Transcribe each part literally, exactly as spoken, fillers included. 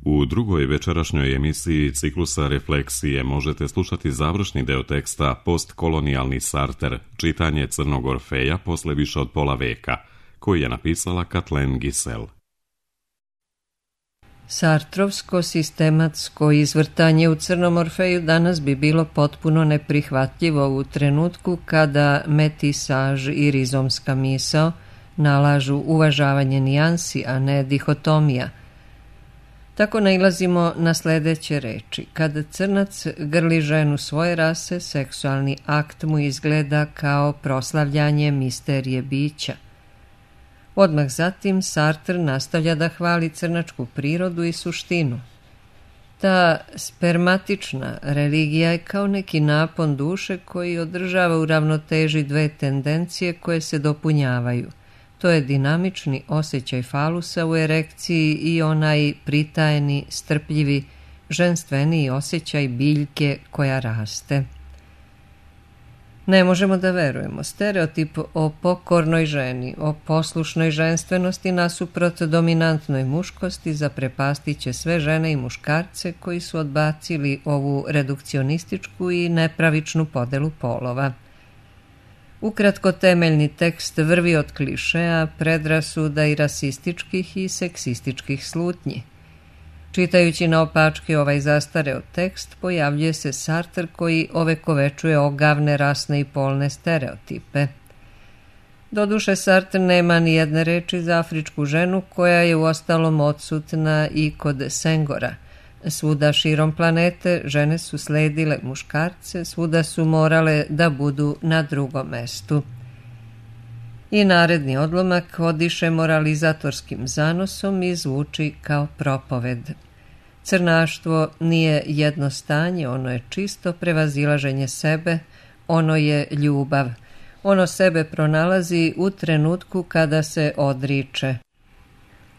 U drugoj večerašnjoj emisiji ciklusa Refleksije možete slušati završni deo teksta Postkolonijalni Sarter, čitanje Crnog Orfeja posle više od pola veka, koji je napisala Kathleen Gisel. Sartrovsko sistematsko izvrtanje u Crnom Orfeju danas bi bilo potpuno neprihvatljivo u trenutku kada metisaž i rizomska misao nalažu uvažavanje nijansi, a ne dihotomija. Tako nailazimo na sledeće reči. Kada crnac grli ženu svoje rase, seksualni akt mu izgleda kao proslavljanje misterije bića. Odmah zatim Sartre nastavlja da hvali crnačku prirodu i suštinu. Ta spermatična religija je kao neki napon duše koji održava u ravnoteži dve tendencije koje se dopunjavaju. To je dinamični osjećaj falusa u erekciji i onaj pritajeni, strpljivi, ženstveniji osjećaj biljke koja raste. Ne možemo da verujemo. Stereotip o pokornoj ženi, o poslušnoj ženstvenosti nasuprot dominantnoj muškosti zaprepastiće sve žene i muškarce koji su odbacili ovu redukcionističku i nepravičnu podelu polova. Ukratko, temeljni tekst vrvi od klišeja, predrasuda i rasističkih i seksističkih slutnji. Čitajući naopačke ovaj zastareo tekst, pojavljuje se Sartre koji ovekovečuje ogavne rasne i polne stereotipe. Doduše, Sartre nema ni jedne reči za afričku ženu koja je uostalom odsutna i kod Sengora. Svuda širom planete žene su sledile muškarce, svuda su morale da budu na drugom mestu. I naredni odlomak odiše moralizatorskim zanosom i zvuči kao propoved. Crnaštvo nije jedno stanje, ono je čisto prevazilaženje sebe, ono je ljubav. Ono sebe pronalazi u trenutku kada se odriče.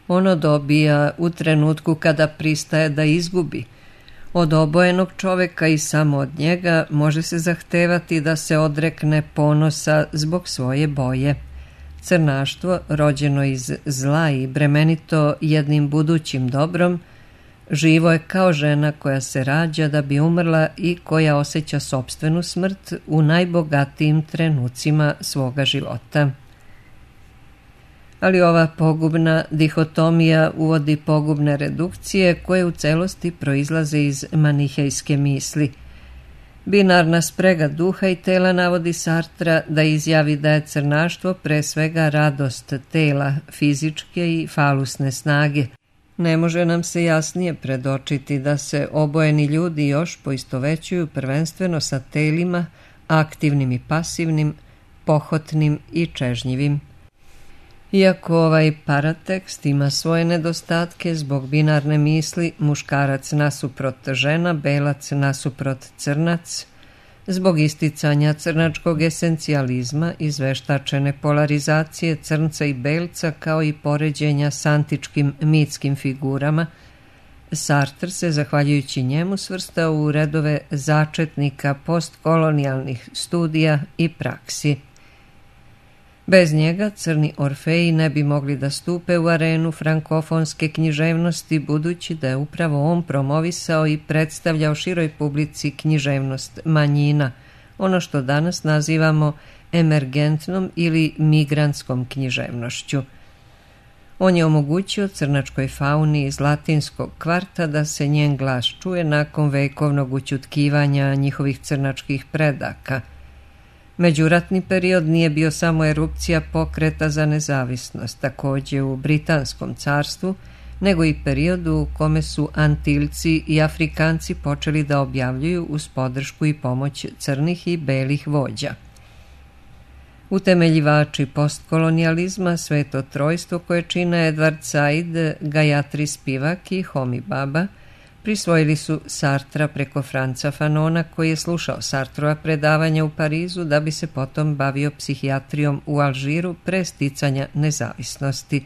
Ono dobija u trenutku kada pristaje da izgubi. Od obojenog čoveka i samo od njega može se zahtevati da se odrekne ponosa zbog svoje boje. Crnaštvo, rođeno iz zla i bremenito jednim budućim dobrom, živo je kao žena koja se rađa da bi umrla i koja osjeća sopstvenu smrt u najbogatijim trenucima svoga života. Ali ova pogubna dihotomija uvodi pogubne redukcije koje u celosti proizlaze iz manihejske misli. Binarna sprega duha i tela navodi Sartra da izjavi da je crnaštvo pre svega radost tela, fizičke i falusne snage. Ne može nam se jasnije predočiti da se obojeni ljudi još poistovećuju prvenstveno sa telima, aktivnim i pasivnim, pohotnim i čežnjivim. Iako ovaj paratekst ima svoje nedostatke zbog binarne misli muškarac nasuprot žena, belac nasuprot crnac, zbog isticanja crnačkog esencijalizma, izveštačene polarizacije crnca i belca kao i poređenja s antičkim mitskim figurama, Sartre se, zahvaljujući njemu, svrstao u redove začetnika postkolonijalnih studija i praksi. Bez njega Crni Orfeji ne bi mogli da stupe u arenu frankofonske književnosti, budući da je upravo on promovisao i predstavljao široj publici književnost manjina, ono što danas nazivamo emergentnom ili migrantskom književnošću. On je omogućio crnačkoj fauni iz latinskog kvarta da se njen glas čuje nakon vekovnog ućutkivanja njihovih crnačkih predaka. Međuratni period nije bio samo erupcija pokreta za nezavisnost, takođe u Britanskom carstvu, nego i periodu u kome su Antilci i Afrikanci počeli da objavljuju uz podršku i pomoć crnih i belih vođa. Utemeljivači postkolonijalizma, sveto trojstvo koje čine Edward Said, Gayatri Spivak i Homi Baba, prisvojili su Sartra preko Franca Fanona koji je slušao Sartrova predavanja u Parizu da bi se potom bavio psihijatrijom u Alžiru pre sticanja nezavisnosti.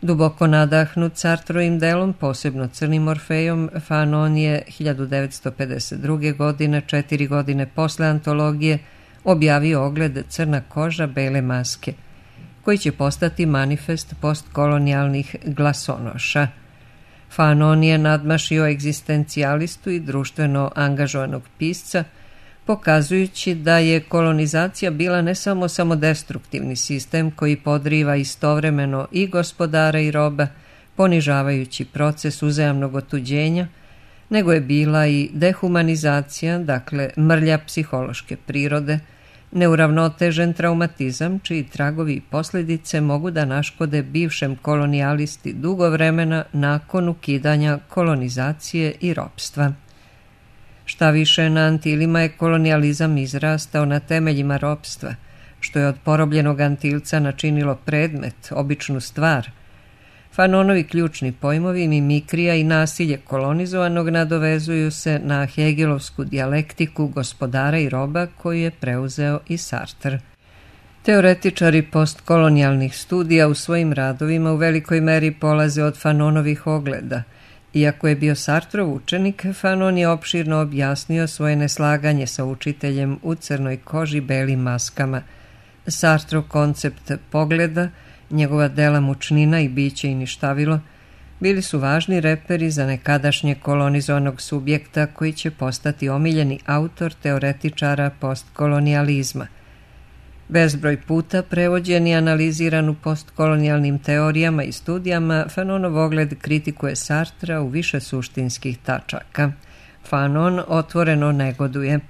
Duboko nadahnut Sartrovim delom, posebno Crnim Orfejom, Fanon je hiljadu devetsto pedeset druge. godine, četiri godine posle antologije, objavio ogled Crna koža, bele maske, koji će postati manifest postkolonijalnih glasonoša. Fanon je nadmašio egzistencijalistu i društveno angažovanog pisca, pokazujući da je kolonizacija bila ne samo samodestruktivni sistem koji podriva istovremeno i gospodara i roba, ponižavajući proces uzajamnog otuđenja, nego je bila i dehumanizacija, dakle mrlja psihološke prirode, neuravnotežen traumatizam čiji tragovi i posljedice mogu da naškode bivšem kolonijalisti dugo vremena nakon ukidanja kolonizacije i ropstva. Šta više, na Antilima je kolonijalizam izrastao na temeljima ropstva, što je od porobljenog Antilca načinilo predmet, običnu stvar. Fanonovi ključni pojmovi mimikrija i nasilje kolonizovanog nadovezuju se na Hegelovsku dijalektiku gospodara i roba koju je preuzeo i Sartre. Teoretičari postkolonijalnih studija u svojim radovima u velikoj meri polaze od Fanonovih ogleda. Iako je bio Sartrov učenik, Fanon je opširno objasnio svoje neslaganje sa učiteljem u crnoj koži belim maskama. Sartrov koncept pogleda, njegova dela Mučnina i biće i ništavilo, bili su važni reperi za nekadašnje kolonizovanog subjekta koji će postati omiljeni autor teoretičara postkolonijalizma. Bezbroj puta prevođen i analiziran u postkolonijalnim teorijama i studijama, Fanonov ogled kritikuje Sartra u više suštinskih tačaka. Fanon otvoreno negoduje.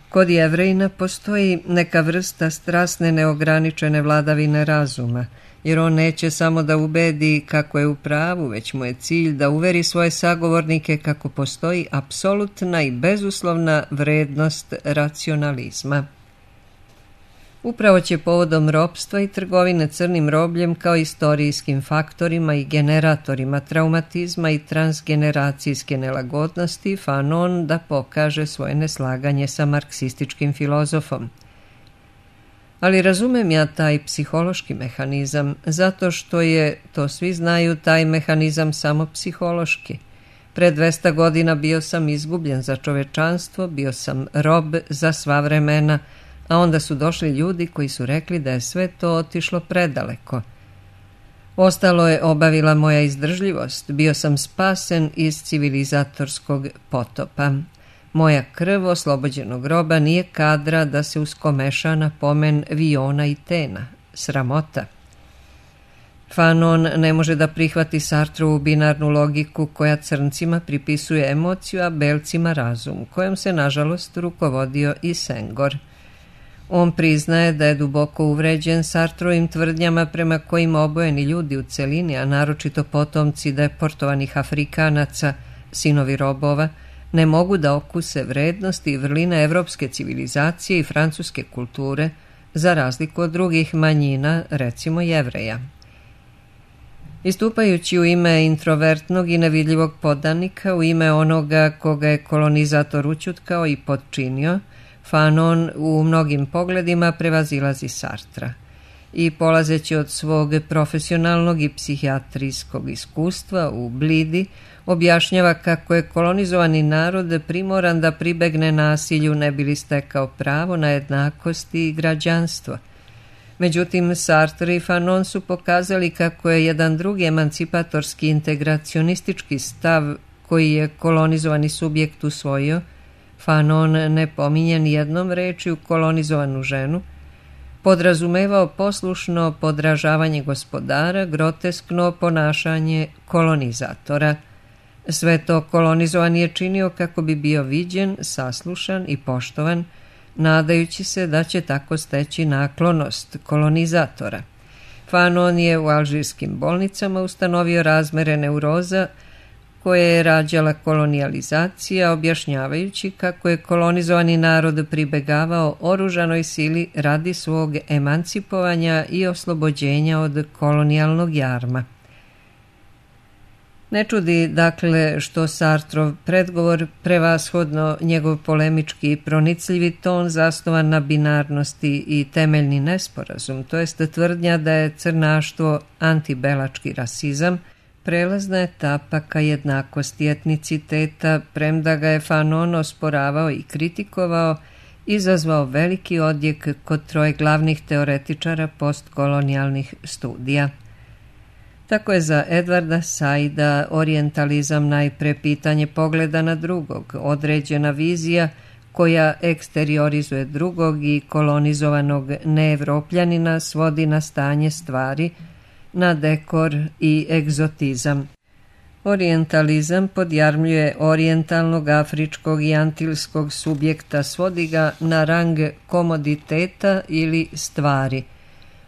Kod Jevrejina postoji neka vrsta strasne neograničene vladavine razuma, jer on neće samo da ubedi kako je u pravu, već mu je cilj da uveri svoje sagovornike kako postoji apsolutna i bezuslovna vrednost racionalizma. Upravo će povodom ropstva i trgovine crnim robljem kao istorijskim faktorima i generatorima traumatizma i transgeneracijske nelagodnosti Fanon da pokaže svoje neslaganje sa marksističkim filozofom. Ali razumem ja taj psihološki mehanizam, zato što je, to svi znaju, taj mehanizam samo psihološki. Pre dvesta godina bio sam izgubljen za čovečanstvo, bio sam rob za sva vremena, a onda su došli ljudi koji su rekli da je sve to otišlo predaleko. Ostalo je obavila moja izdržljivost, bio sam spasen iz civilizatorskog potopa. Moja krv oslobođenog roba nije kadra da se uskomeša na pomen Viona i Tena. Sramota. Fanon ne može da prihvati Sartrovu binarnu logiku koja crncima pripisuje emociju, a belcima razum, kojom se nažalost rukovodio i Senghor. On priznaje da je duboko uvređen Sartrovim tvrdnjama prema kojima obojeni ljudi u celini, a naročito potomci deportovanih Afrikanaca, sinovi robova, ne mogu da okuse vrednosti i vrline evropske civilizacije i francuske kulture, za razliku od drugih manjina, recimo Jevreja. Istupajući u ime introvertnog i nevidljivog podanika, u ime onoga koga je kolonizator ućutkao i potčinio, Fanon u mnogim pogledima prevazilazi Sartra i polazeći od svog profesionalnog i psihijatrijskog iskustva u Blidi objašnjava kako je kolonizovani narod primoran da pribegne nasilju ne bi li stekao pravo na jednakost i građanstvo. Međutim, Sartre i Fanon su pokazali kako je jedan drugi emancipatorski integracionistički stav koji je kolonizovani subjekt usvojio, Fanon ne pominje ni jednom rečju kolonizovanu ženu, podrazumevao poslušno podražavanje gospodara, groteskno ponašanje kolonizatora. Sve to kolonizovan je činio kako bi bio viđen, saslušan i poštovan, nadajući se da će tako steći naklonost kolonizatora. Fanon je u alžirskim bolnicama ustanovio razmere neuroza koje je rađala kolonijalizacija, objašnjavajući kako je kolonizovani narod pribegavao oružanoj sili radi svog emancipovanja i oslobođenja od kolonijalnog jarma. Ne čudi, dakle, što Sartrov predgovor, prevashodno njegov polemički i pronicljivi ton zasnovan na binarnosti i temeljni nesporazum, to jest tvrdnja da je crnaštvo antibelački rasizam, prelazna etapa ka jednakosti etniciteta, premda ga je Fanon osporavao i kritikovao, izazvao veliki odjek kod troje glavnih teoretičara postkolonijalnih studija. Tako je za Edvarda Saida orijentalizam najpre pitanje pogleda na drugog, određena vizija koja eksteriorizuje drugog i kolonizovanog neevropljanina svodi na stanje stvari, na dekor i egzotizam. Orijentalizam podjarmljuje orijentalnog, afričkog i antilskog subjekta, svodi ga na rang komoditeta ili stvari.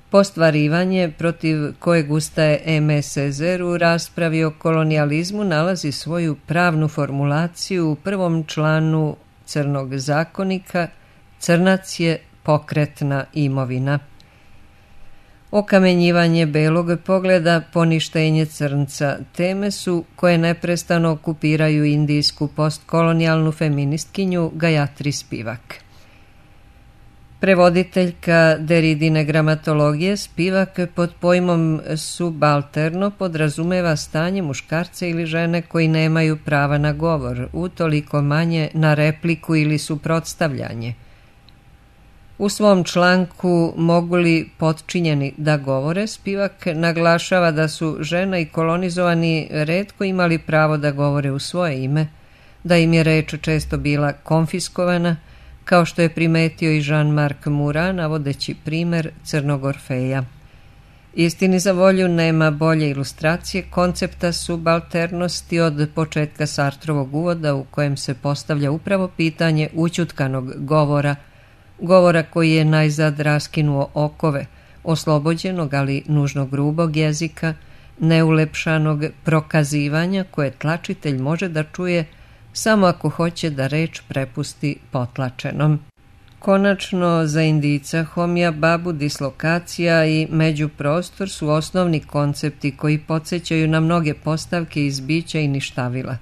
Postvarivanje protiv kojeg ustaje M. Cezer u raspravi o kolonijalizmu nalazi svoju pravnu formulaciju u prvom članu Crnog zakonika: crnac je pokretna imovina. Okamenjivanje belog pogleda, poništenje crnca, teme su koje neprestano okupiraju indijsku postkolonijalnu feministkinju Gayatri Spivak. Prevoditeljka Deridine gramatologije, Spivak pod pojmom subalterno podrazumeva stanje muškarca ili žene koji nemaju prava na govor, utoliko manje na repliku ili suprotstavljanje. U svom članku Mogu li potčinjeni da govore, Spivak naglašava da su žena i kolonizovani retko imali pravo da govore u svoje ime, da im je reč često bila konfiskovana, kao što je primetio i Jean-Marc Murat, navodeći primer Crnog Orfeja. Istini za volju, nema bolje ilustracije koncepta subalternosti od početka Sartrovog uvoda, u kojem se postavlja upravo pitanje ućutkanog govora, govora koji je najzad raskinuo okove, oslobođenog, ali nužno grubog jezika, neulepšanog prokazivanja koje tlačitelj može da čuje samo ako hoće da reč prepusti potlačenom. Konačno, za Indijca homija, babu, dislokacija i međuprostor su osnovni koncepti koji podsjećaju na mnoge postavke iz bića i ništavila,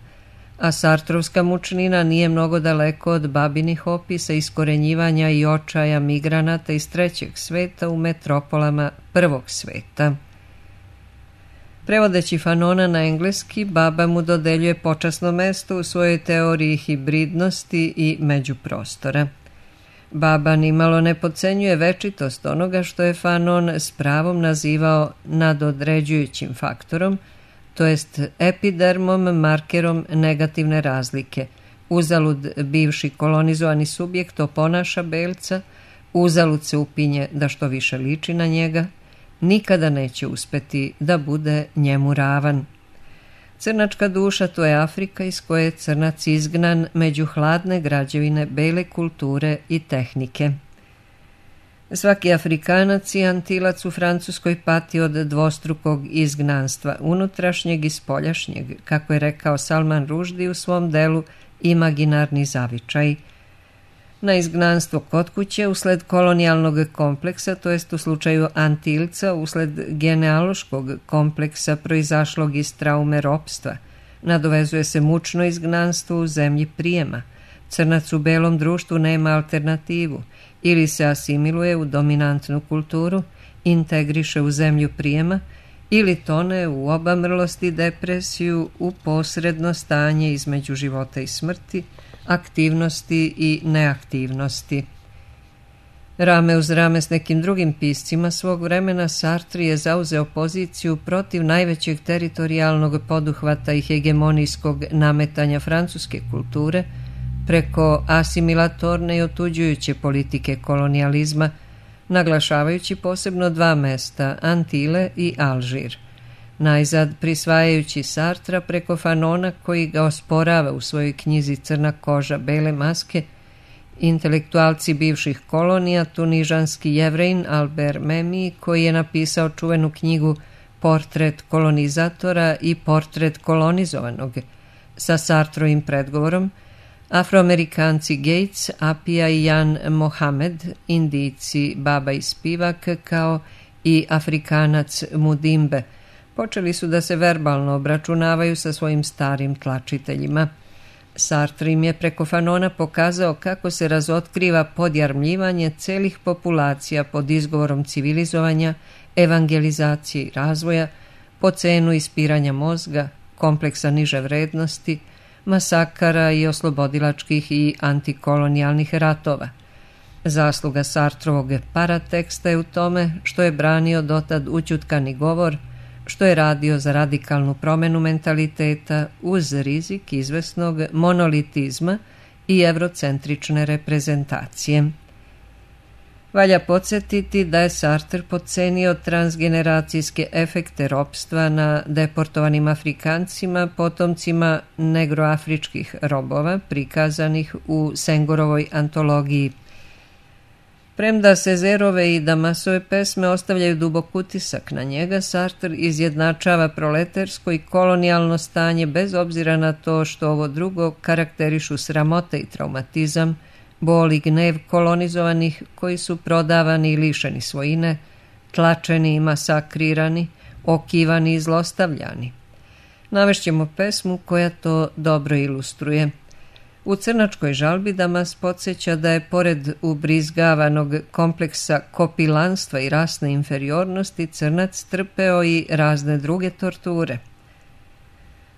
a sartrovska mučnina nije mnogo daleko od babinih opisa iskorenjivanja i očaja migranata iz trećeg sveta u metropolama prvog sveta. Prevodeći Fanona na engleski, baba mu dodeljuje počasno mesto u svojoj teoriji hibridnosti i međuprostora. Baba nimalo ne podcenjuje večitost onoga što je Fanon s pravom nazivao nadodređujućim faktorom, to jest epidermom, markerom negativne razlike. Uzalud bivši kolonizovani subjekt oponaša belca, uzalud se upinje da što više liči na njega, nikada neće uspeti da bude njemu ravan. Crnačka duša, to je Afrika iz koje je crnac izgnan među hladne građevine bele kulture i tehnike. Svaki Afrikanac i Antilac u Francuskoj pati od dvostrukog izgnanstva, unutrašnjeg i spoljašnjeg, kako je rekao Salman Rushdie u svom delu Imaginarni zavičaj. Na izgnanstvo kod kuće usled kolonijalnog kompleksa, to jest u slučaju Antilca usled genealoškog kompleksa proizašlog iz traume ropstva, nadovezuje se mučno izgnanstvo u zemlji prijema. Crnac u belom društvu nema alternativu, ili se asimiluje u dominantnu kulturu, integriše u zemlju prijema, ili tone u obamrlost i depresiju, u posredno stanje između života i smrti, aktivnosti i neaktivnosti. Rame uz rame s nekim drugim piscima svog vremena, Sartre je zauzeo poziciju protiv najvećeg teritorijalnog poduhvata i hegemonijskog nametanja francuske kulture preko asimilatorne i otuđujuće politike kolonijalizma, naglašavajući posebno dva mesta, Antile i Alžir. Najzad prisvajajući Sartra preko Fanona koji ga osporava u svojoj knjizi Crna koža, bele maske, intelektualci bivših kolonija, tunižanski Jevrejin Albert Memmi, koji je napisao čuvenu knjigu Portret kolonizatora i portret kolonizovanog, sa Sartrovim predgovorom, Afroamerikanci Gates, Apia i Jan Mohamed, Indijci Baba i Spivak, kao i Afrikanac Mudimbe, počeli su da se verbalno obračunavaju sa svojim starim tlačiteljima. Sartre im je preko Fanona pokazao kako se razotkriva podjarmljivanje celih populacija pod izgovorom civilizovanja, evangelizacije i razvoja, po cenu ispiranja mozga, kompleksa niže vrednosti, masakara i oslobodilačkih i antikolonijalnih ratova. Zasluga Sartrovog parateksta je u tome što je branio dotad ućutkani govor, što je radio za radikalnu promenu mentaliteta uz rizik izvesnog monolitizma i evrocentrične reprezentacije. Valja podsjetiti da je Sartre potcenio transgeneracijske efekte ropstva na deportovanim Afrikancima, potomcima negroafričkih robova, prikazanih u Sengorovoj antologiji. Premda Césairove i Damasove pesme ostavljaju dubok utisak na njega, Sartre izjednačava proletersko i kolonijalno stanje bez obzira na to što ovo drugo karakterišu sramota i traumatizam, bol i gnev kolonizovanih koji su prodavani i lišeni svojine, tlačeni i masakrirani, okivani i zlostavljani. Navešćemo pesmu koja to dobro ilustruje. U crnačkoj žalbi Damas podsjeća da je pored ubrizgavanog kompleksa kopilanstva i rasne inferiornosti crnac trpeo i razne druge torture.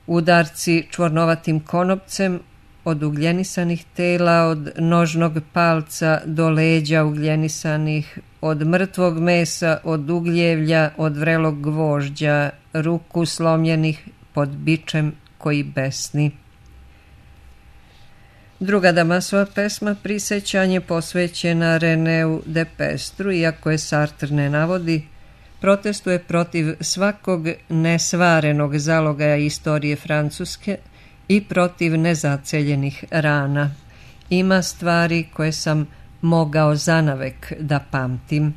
Udarci čvornovatim konopcem od ugljenisanih tela, od nožnog palca do leđa ugljenisanih, od mrtvog mesa, od ugljevlja, od vrelog gvožđa, ruku slomljenih pod bičem koji besni. Druga Damasova pesma Prisećanje posvećena Reneu de Pestru, iako je Sartre ne navodi, protestuje protiv svakog nesvarenog zalogaja istorije Francuske i protiv nezaceljenih rana. Ima stvari koje sam mogao zanavek da pamtim.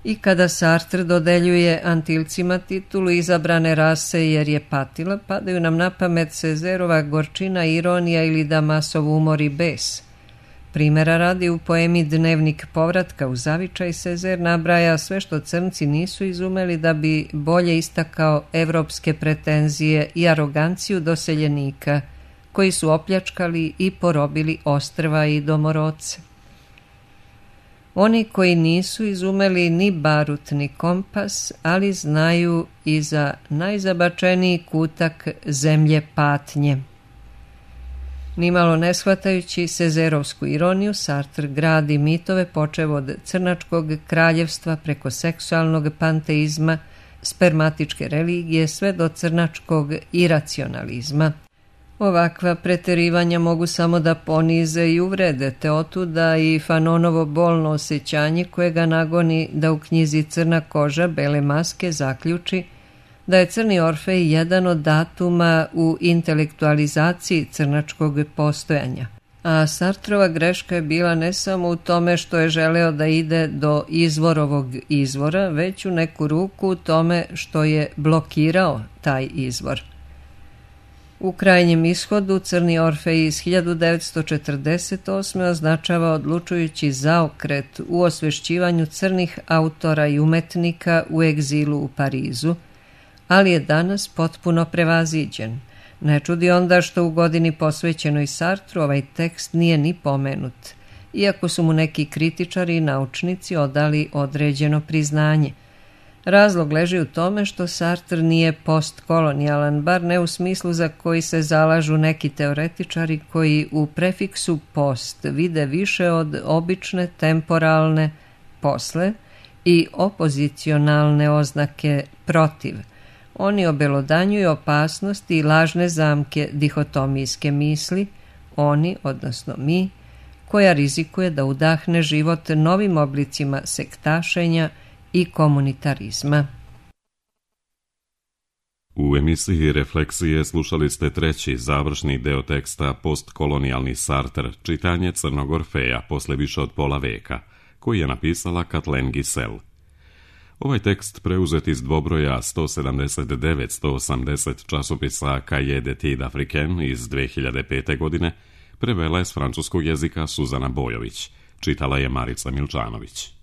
I kada Sartre dodeljuje Antilcima titulu izabrane rase jer je patila, padaju nam na pamet Césairova gorčina, ironija ili Damasov umor i bes. Primera radi, u poemi Dnevnik povratka u zavičaj Césaire nabraja sve što crnci nisu izumeli da bi bolje istakao evropske pretenzije i aroganciju doseljenika koji su opljačkali i porobili ostrva i domorodce. Oni koji nisu izumeli ni barut ni kompas, ali znaju i za najzabačeniji kutak zemlje patnje. Nimalo ne shvatajući Césairovsku ironiju, Sartre gradi mitove počev od crnačkog kraljevstva preko seksualnog panteizma, spermatičke religije sve do crnačkog iracionalizma. Ovakva preterivanja mogu samo da ponize i uvrede, te otuda i Fanonovo bolno osjećanje koje ga nagoni da u knjizi Crna koža, bele maske zaključi da je Crni Orfej jedan od datuma u intelektualizaciji crnačkog postojanja. A Sartrova greška je bila ne samo u tome što je želeo da ide do izvorovog izvora, već u neku ruku u tome što je blokirao taj izvor. U krajnjem ishodu Crni Orfej iz hiljadu devetsto četrdeset osme označava odlučujući zaokret u osvešćivanju crnih autora i umetnika u egzilu u Parizu, ali je danas potpuno prevaziđen. Ne čudi onda što u godini posvećenoj Sartru ovaj tekst nije ni pomenut, iako su mu neki kritičari i naučnici odali određeno priznanje. Razlog leži u tome što Sartre nije postkolonijalan, bar ne u smislu za koji se zalažu neki teoretičari koji u prefiksu post vide više od obične temporalne posle i opozicionalne oznake protiv. Oni obelodanjuju opasnosti i lažne zamke dihotomijske misli, oni, odnosno mi, koja rizikuje da udahne život novim oblicima sektašenja i komunitarizma. U emisiji Refleksije slušali ste treći završni deo teksta Postkolonijalni Sartre, čitanje Crnog Orfeja posle više od pola veka, koji je napisala Kathleen Giselle. Ovaj tekst preuzet iz dvobroja sto sedamdeset devet do sto osamdeset časopisa Cahiers d'études africaines iz dve hiljade pete. godine prevela je s francuskog jezika Suzana Bojović, čitala je Marica Milčanović.